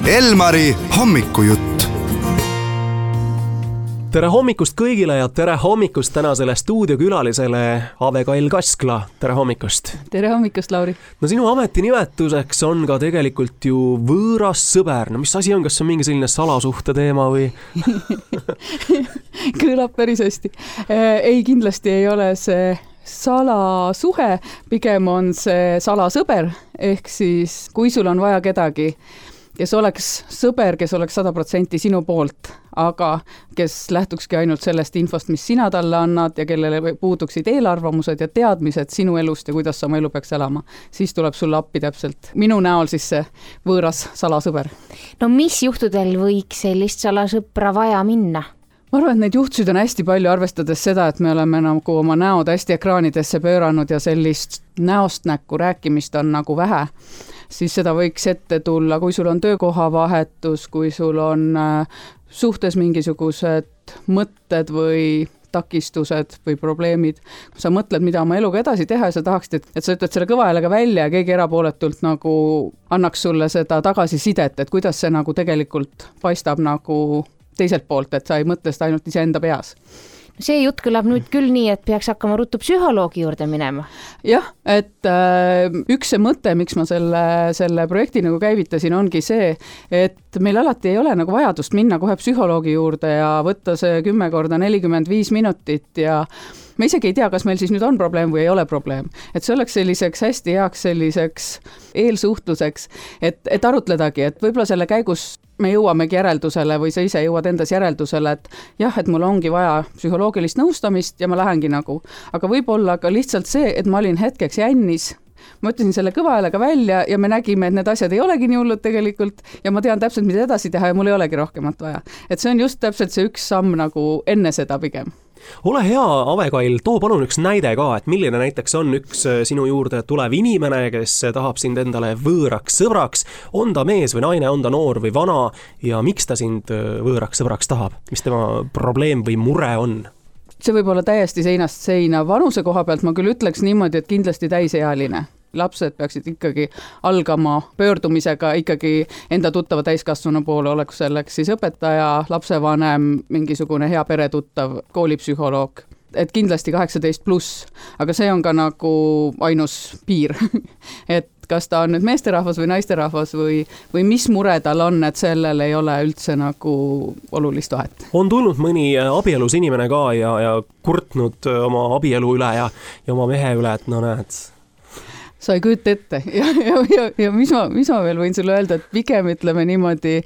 Elmari hommikujutt. Tere hommikust kõigile ja tere hommikust tänasele stuudiokülalisele Ave Kail Kaskla. Tere hommikust. Tere hommikust, Lauri. No sinu ametinimetuseks on ka tegelikult ju võõras sõber. No mis asi on, kas see on mingi selline salasuhte teema või? Kõlab päris hästi. Ei, kindlasti ei ole see salasuhe, pigem on see salasõber, ehk siis kui sul on vaja kedagi, kes oleks sõber, kes oleks 100% sinu poolt, aga kes lähtukski ainult sellest infost, mis sina talle annad ja kellele puuduksid eelarvamused ja teadmised sinu elust ja kuidas sa oma elu peaks elama, siis tuleb sulle appi täpselt minu näol siis see võõras salasõber. No mis juhtudel võiks sellist salasõpra vaja minna? Ma arvan, et neid juhtusid on hästi palju, arvestades seda, et me oleme nagu oma näod hästi ekraanidesse pööranud ja sellist näost näkku rääkimist on nagu vähe. Siis seda võiks ette tulla, kui sul on töökohavahetus, kui sul on suhtes mingisugused mõtted või takistused või probleemid. Kui sa mõtled, mida oma eluga edasi teha ja sa tahaksid, et sa ütled selle kõva häälega välja ja keegi erapooletult nagu annaks sulle seda tagasisidet, et kuidas see nagu tegelikult paistab nagu teiselt poolt, et sa ei mõtle seda ainult iseenda peas. See jutt kõlab nüüd küll nii, et peaks hakkama ruttu psühholoogi juurde minema. Jah, et üks see mõte, miks ma selle projekti nagu käivitasin, ongi see, et meil alati ei ole nagu vajadust minna kohe psühholoogi juurde ja võtta see 10 korda 45 minutit ja me isegi ei tea, kas meil siis nüüd on probleem või ei ole probleem. Et see oleks selliseks hästi heaks selliseks eelsuhtluseks, et arutledagi, et võib-olla selle käigus me jõuamegi järeldusele või sa ise jõuad endas järeldusele, et jah, et mul ongi vaja psühholoogilist nõustamist ja ma lähengi nagu. Aga võib-olla ka lihtsalt see, et ma olin hetkeks jännis. Ma ütlesin selle kõva häälega välja ja me nägime, et need asjad ei olegi nii hullud tegelikult ja ma tean täpselt, mida edasi teha ja mul ei olegi rohkemat vaja. Et see on just täpselt see üks samm nagu enne seda pigem. Ole hea, Ave Kail, too palun üks näide ka, et milline näiteks on üks sinu juurde tulev inimene, kes tahab sind endale võõraks sõbraks, on ta mees või naine, on ta noor või vana ja miks ta sind võõraks sõbraks tahab? Mis tema probleem või mure on? See võib olla täiesti seinast seina. Vanuse koha pealt ma küll ütleks niimoodi, et kindlasti täisealine. Lapsed peaksid ikkagi algama pöördumisega ikkagi enda tuttava täiskasvanu poole, oleks selleks siis õpetaja, lapsevanem, mingisugune hea peretuttav, koolipsühholoog. Et kindlasti 18+, aga see on ka nagu ainus piir. Et kas ta on nüüd meesterahvas või naisterahvas või mis mure tal on, et sellel ei ole üldse nagu olulist vahet. On tulnud mõni abielus inimene ka ja kurtnud oma abielu üle ja oma mehe üle, et no näed, sa ei kujuta ette ja mis ma veel võin sulle öelda, et pigem ütleme niimoodi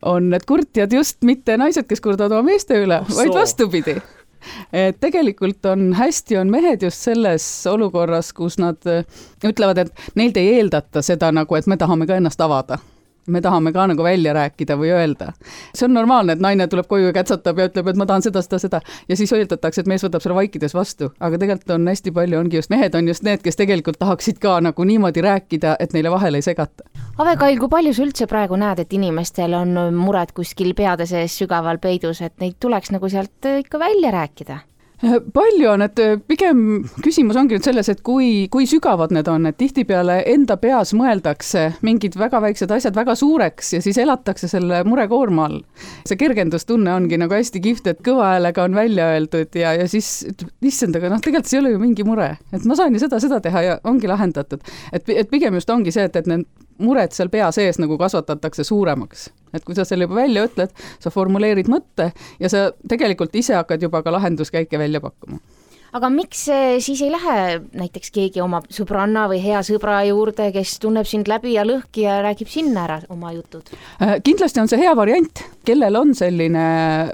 on need kurtjad just mitte naised, kes kurdavad oma meeste üle, vaid vastupidi. Et tegelikult on mehed just selles olukorras, kus nad ütlevad, et neilt ei eeldata seda nagu, et me tahame ka ennast avada. Me tahame ka nagu välja rääkida või öelda. See on normaalne, et naine tuleb koju ja kätsatab ja ütleb, et ma tahan seda. Ja siis öeldatakse, et mees võtab selle vaikides vastu. Aga tegelikult on hästi palju, ongi just mehed on just need, kes tegelikult tahaksid ka nagu niimoodi rääkida, et neile vahele ei segata. Ave Kail, kui palju sa üldse praegu näed, et inimestel on mured kuskil peade sees sügaval peidus, et neid tuleks nagu sealt ikka välja rääkida? Palju on, et pigem küsimus ongi nüüd selles, et kui sügavad need on, et tihtipeale enda peas mõeldakse mingid väga väiksed asjad väga suureks ja siis elatakse selle murekoorma all. See kergendustunne ongi nagu hästi kihvt, et kõva häälega on välja öeldud ja siis issand, aga tegelikult see ei ole ju mingi mure, et ma saan ju seda teha ja ongi lahendatud. Et pigem just ongi see, et need mured seal pea sees nagu kasvatatakse suuremaks. Et kui sa selle juba välja ütled, sa formuleerid mõtte ja sa tegelikult ise hakkad juba ka lahenduskäike välja pakkuma. Aga miks siis ei lähe näiteks keegi oma sõbranna või hea sõbra juurde, kes tunneb sind läbi ja lõhki ja räägib sinna ära oma jutud? Kindlasti on see hea variant, kellel on selline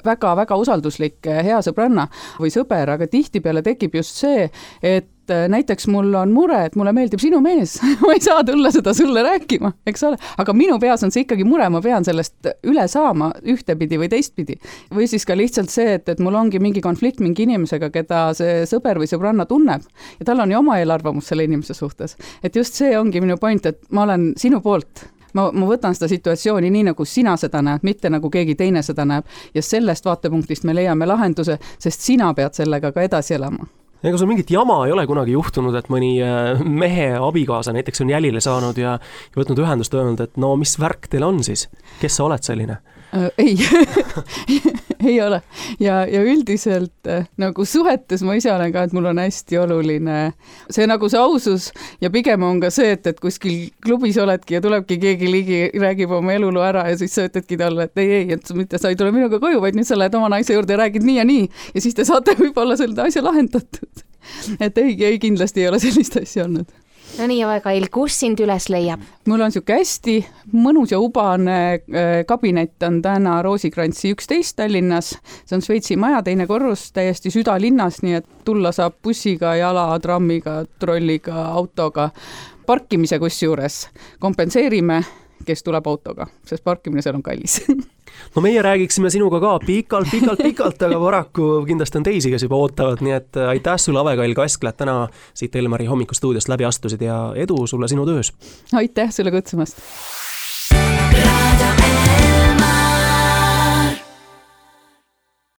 väga-väga usalduslik hea sõbranna või sõber, aga tihtipeale tekib just see, et näiteks mul on mure, et mulle meeldib sinu mees, ma ei saa tulla seda sulle rääkima, eks ole, aga minu peas on see ikkagi mure, ma pean sellest üle saama ühtepidi või teistpidi. Või siis ka lihtsalt see, et mul ongi mingi konflikt mingi inimesega, keda see sõber või sõbranna tunneb ja tal on ju oma eelarvamus selle inimese suhtes. Et just see ongi minu point, et ma olen sinu poolt. Ma võtan seda situatsiooni nii, nagu sina seda näed, mitte nagu keegi teine seda näeb ja sellest vaatepunktist me leiame lahenduse, sest sina pead sellega ka edasi elama. ega sul mingit jama ei ole kunagi juhtunud, et mõni mehe abikaasa näiteks on jälile saanud ja võtnud ühendust öelnud, et no mis värk teil on siis? Kes sa oled selline? Ei, ei ole. Ja üldiselt nagu suhetes ma ise olen ka, et mul on hästi oluline see nagu see ausus ja pigem on ka see, et kuskil klubis oledki ja tulebki keegi ligi, räägib oma eluloo ära ja siis sa ütledki talle, et ei, et mitte sa ei tule minuga koju, vaid nüüd sa lähed oma naise juurde ja räägid nii ja siis te saate võib-olla selle asja lahendatud. Et ei, kindlasti ei ole sellist asja olnud. No nii, Aue-Kail, kus sind üles leiab? Mul on siuke hästi mõnus ja ubane kabinet on täna Roosikrantsi 11 Tallinnas. See on Šveitsi maja, 2. korrus, täiesti südalinnas, nii et tulla saab bussiga, jala, trammiga, trolliga, autoga. Parkimise kusjuures kompenseerime, kes tuleb autoga, sest parkimine seal on kallis. No meie räägiksime sinuga ka pikalt, aga paraku kindlasti on teisi, kes juba ootavad, nii et aitäh sulle, Aue-Kail Kaskla, täna siit Elmari hommikustuudiost läbi astusid ja edu sulle sinu töös. Aitäh sulle kutsumast.